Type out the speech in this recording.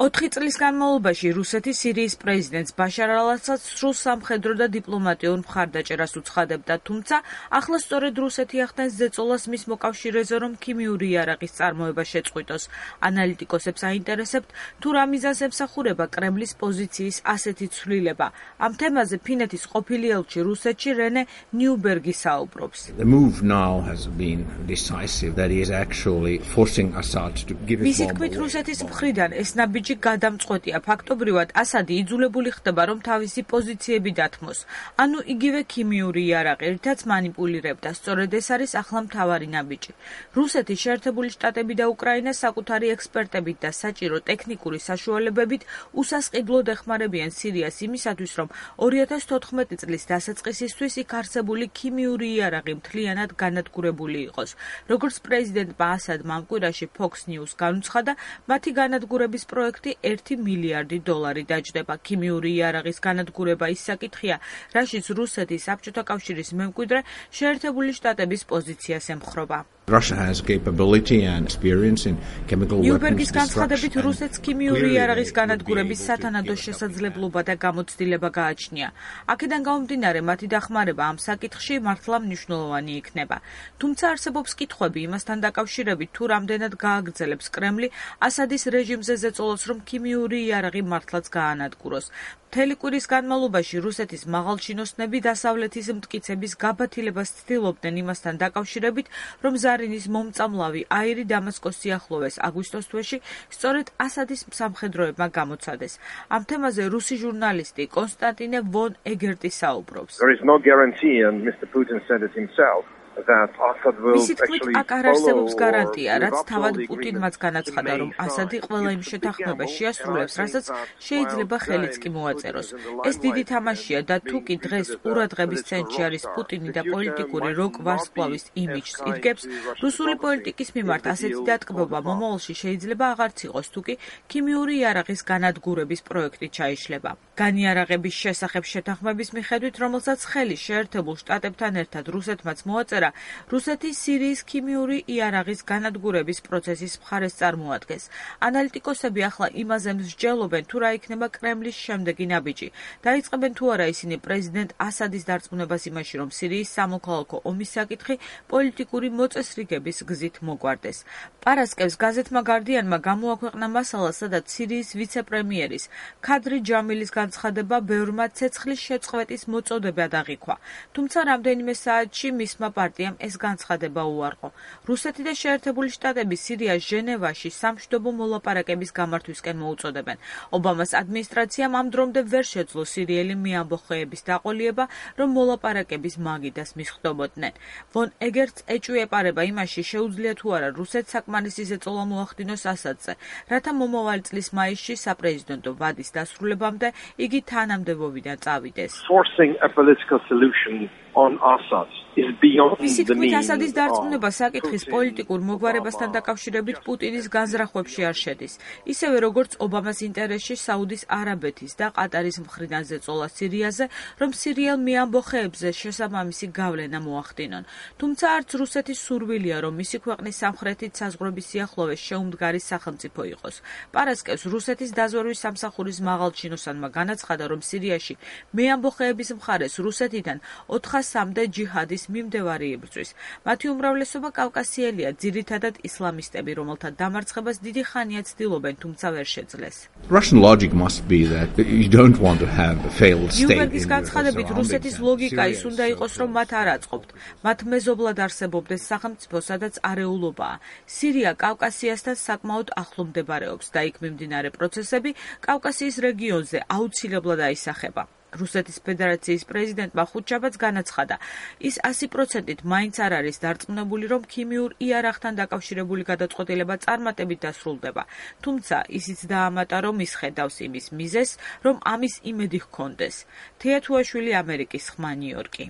4 წლის განმავლობაში რუსეთი სირიის პრეზიდენტს ბაშარ ალ-ასადს სრულ სამხედრო და დიპლომატიურ მხარდაჭერას უცხადებდა, თუმცა ახლა სწორედ რუსეთი ახდენს ზეწოლას მის მოკავშირეზე, რომ ქიმიური იარაღის წარმოება შეწყვიტოს. ანალიტიკოსებს აინტერესებთ, თუ რა მიზანს ემსახურება კრემლის პოზიციის ასეთი ცვლილება. ამ თემაზე ფინეთის ყოფილი ელჩი რუსეთში რენე ნიუბერგი საუბრობს. მისი თქმით, რუსეთის მხრიდან ეს ნაბიჯი გადამწყვეტია. ფაქტობრივად, ასადი იძულებული ხდება, რომ თავისი პოზიციები დათმოს. ანუ იგივე ქიმიური იარაღი, რითაც მანიპულირებდა. სწორედ ეს არის ახლა მთავარი ნაბიჯი. რუსეთი, შეერთებული შტატები და უკრაინა საკუთარი ექსპერტებით და საჭირო ტექნიკური საშუალებებით უსასყიდლოდ ეხმარებიან სირიას იმისათვის, რომ 2014 წლის დასაწყისისთვის იქ არსებული ქიმიური იარაღი მთლიანად განადგურებული იყოს. როგორც პრეზიდენტმა ასადმა ამ კვირაში Fox News განუცხადა, მათი განადგურების პროექტი $1 მილიარდი დაჯდება. ქიმიური იარაღის განადგურება ის საკითხია, რაშიც რუსეთი საბჭოთა კავშირის მემკვიდრე შეერთებული შტატების პოზიციას ემხრობა. ნიუბერგის განცხადებით, რუსეთს ქიმიური იარაღის განადგურების სათანადო შესაძლებლობა და გამოცდილება გააჩნია. აქედან გამომდინარე, მათი დახმარება ამ საკითხში მართლა მნიშვნელოვანი იქნება. თუმცა არსებობს კითხვები იმასთან დაკავშირებით, თუ რამდენად გააგრძელებს კრემლი ასადის რეჟიმზე ზეწოლას, რომ ქიმიური იარაღი მართლაც გაანადგუროს. მთელი კვირის განმავლობაში რუსეთის მაღალჩინოსნები დასავლეთის მტკიცების გაბათილებას ცდილობდნენ იმასთან დაკავშირებით, რომ ზარინის მომწამლავი აირი დამასკოს სიახლოვეს აგვისტოს თვეში სწორედ ასადის სამხედროებმა გამოცადეს. ამ თემაზე რუსი ჟურნალისტი კონსტანტინე ვონ ეგერტი საუბრობს. მისი თქმით, აქ არ არსებობს გარანტია, რაც თავად პუტინმაც განაცხადა, რომ ასადი ყველა იმ შეთანხმებას შეასრულებს, რასაც შეიძლება ხელიც კი მოაწეროს. ეს დიდი თამაშია და თუ კი დღეს ყურადღების ცენტრში არის პუტინი და პოლიტიკური როკ ვარსკვლავის იმიჯს იდგებს, რუსული პოლიტიკის მიმართ ასეთი დატკბობა მომავალში შეიძლება აღარც იყოს, თუ კი ქიმიური იარაღის განადგურების პროექტი ჩაიშლება. განიარაღების შესახებ შეთანხმების მიხედვით, რომელსაც ხელი შეერთებულ შტატებთან ერთად რუსეთმაც მოაწერა, რუსეთი სირიის ქიმიური იარაღის განადგურების პროცესის მხარეს წარმოადგენს. ანალიტიკოსები ახლა იმაზე მსჯელობენ, თუ რა იქნება კრემლის შემდეგი ნაბიჯი. დაიწყებენ თუ არა ისინი პრეზიდენტ ასადის დარწმუნებას იმაში, რომ სირიის სამოქალაქო ომის საკითხი პოლიტიკური მოწესრიგების გზით მოგვარდეს. პარასკევს გაზეთმა გარდიანმა გამოაქვეყნა მასალა, სადაც სირიის ვიცე-პრემიერის ქადრი ჯამილის განცხადება ბევრმა ცეცხლის შეწყვეტის მოწოდებად აღიქვა. თუმცა რამდენიმე საათში მისმა პარტიამ ეს განცხადება უარყო. რუსეთი და შეერთებული შტატები სირიას ჟენევაში სამშვიდობო მოლაპარაკების გამართვისკენ მოუწოდებენ. ობამას ადმინისტრაციამ ამ დრომდე ვერ შეძლო სირიელი მეამბოხეების დაყოლიება, რომ მოლაპარაკების მაგიდას მისხდომოდნენ. ვონ ეგერტს ეჭვი ეპარება იმაში, შეუძლია თუ არა რუსეთს საკმარისი ზეწოლა მოახდინოს ასადზე, რათა მომავალი წლის მაისში საპრეზიდენტო ვადის დასრულებამდე იგი თანამდებობიდან წავიდეს. მისი თქმით, ასადის დარწმუნება საკითხის პოლიტიკურ მოგვარებასთან დაკავშირებით პუტინის განზრახვებში არ შედის. ისევე როგორც ობამას ინტერესში საუდის არაბეთის და ყატარის მხრიდან ზეწოლა სირიაზე, რომ სირიელ მეამბოხეებზე შესაბამისი გავლენა მოახდინონ. თუმცა არც რუსეთის სურვილია, რომ მისი ქვეყნის სამხრეთით საზღვრების სიახლოვეს შეუმდგარი სახელმწიფო იყოს. პარასკევს რუსეთის დაზვერვის სამსახურის მაღალჩინოსანმა განაცხადა, რომ სირიაში მეამბოხეების მხარეს რუსეთიდან 400-მდე ჯიჰადის მიმდევარი იბრძვის. მათი უმრავლესობა კავკასიელია, ძირითადად ისლამისტები, რომელთა დამარცხებას დიდი ხანია ცდილობენ, თუმცა ვერ შეძლეს. ნიუბერგის განცხადებით, რუსეთის ლოგიკა ის უნდა იყოს, რომ მათ არ აწყობთ. მათ მეზობლად არსებობდეს სახელმწიფო, სადაც არეულობაა. სირია კავკასიასთან საკმაოდ ახლო მდებარეობს და იქ მიმდინარე პროცესები კავკასიის რეგიონზე აუცილებლად აისახება. რუსეთის ფედერაციის პრეზიდენტმა ხუთშაბათს განაცხადა, ის 100%-ით მაინც არ არის დარწმუნებული, რომ ქიმიურ იარაღთან დაკავშირებული გადაწყვეტილება წარმატებით დასრულდება. თუმცა ისიც დაამატა, რომ ის ხედავს იმის მიზეზს, რომ ამის იმედი ჰქონდეს. თეა თუაშვილი, ამერიკის ხმა, ნიუ-იორკი.